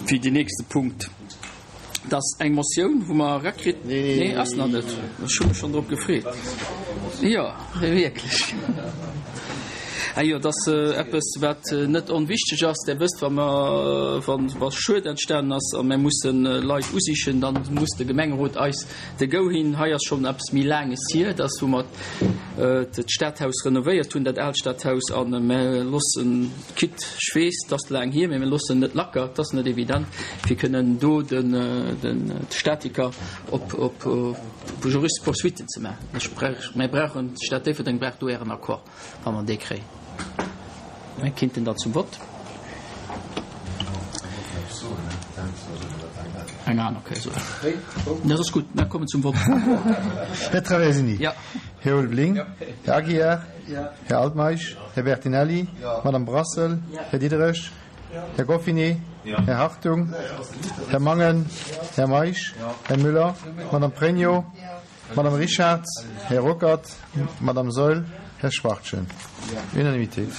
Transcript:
Fir deen nächste Punkt. Dat ass eng Motioun, wou mer erakritt. Nee, ass nach net. Ech hu mech schonn drop gefreet. Jo, wierklech. Ah jo, dat ass eppes, wat net onwichteg ass. Der wësst, wa mer, wa Schued entstanen ass a mir mussen Leit usichen, da muss de Gemengerot eis de Go hinn. Hei ass schonn eppes méi Laanges hier, dass, wou mer d'Stadhaus renovéiert hunn, dat aalt Stadhaus, a mir loossen, quitte, ech weess, 't ass laang hier, mee mir loossen net lacker, 't ass net evident, fir kënnen do de Statiker op juristesch Poursuitten ze maachen. Mir brauchen, d'Stad Déifferdeng brauch do Ären Accord, wa mer dee kréien. Mir kinnten da zum Vott. Eng aner Kéier soen. Dat ass gutt, mir kommen zum Vott. Här Traversini. Ja. Här Ulveling. Här Aguiar. Här Altmeisch. Här Bertinelli. Madame Brassel. Här Diderich. Här Goffinet. Här Hartung. Här Mangen. Här Meisch. Här Müller. Madame Pregno. Madame Richarz. Här Ruckert. Madame Saeul. Här Schwachtgen. Unanimitéit.